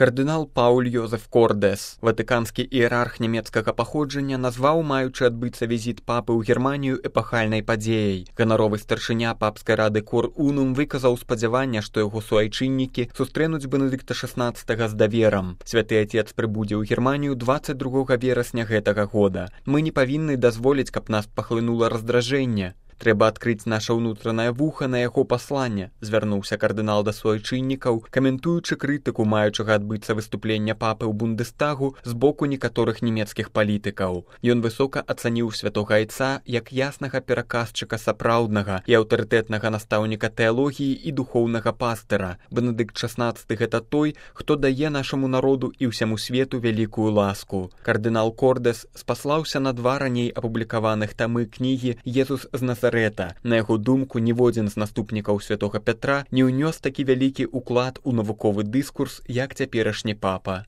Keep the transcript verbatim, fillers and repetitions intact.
Кардынал Пауль Йозеф Кордэс, ватыканскі іерарх нямецкага паходжання, назваў маючы адбыцца візіт папы ў Германію эпахальнай падзеяй. Ганаровы старшыня папскай рады Кор Унум выказаў спадзяванне, што яго суайчыннікі сустрэнуць Бенедыкта шаснаццатага з даверам. Святы Отец прыбудзе ў Германію дваццаць другога верасня гэтага года. Мы не павінны дазволіць, каб нас пахлынула раздражэнне. Трэба адкрыць наша ўнутранае вуха на яго пасланне, звярнуўся кардынал да суайчыннікаў, каментуючы крытыку маючага адбыцца выступлення папы ў Бундестагу з боку некаторых нямецкіх палітыкаў. Ён высока ацаніў святога айца як яснага пераказчыка сапраўднага і аўтарытэтнага настаўніка тэалогіі і духоўнага пастыра. Бенедыкт шаснаццаты гэта той, хто дае нашаму народу і ўсяму свету вялікую ласку. Кардынал Кордэс спаслаўся на два раней апублікаваных тамы кнігі «Езус з Назарэта». На яго думку, ніводзін з наступнікаў святога Пятра не ўнёс такі вялікі ўклад у навуковы дыскурс, як цяперашні папа.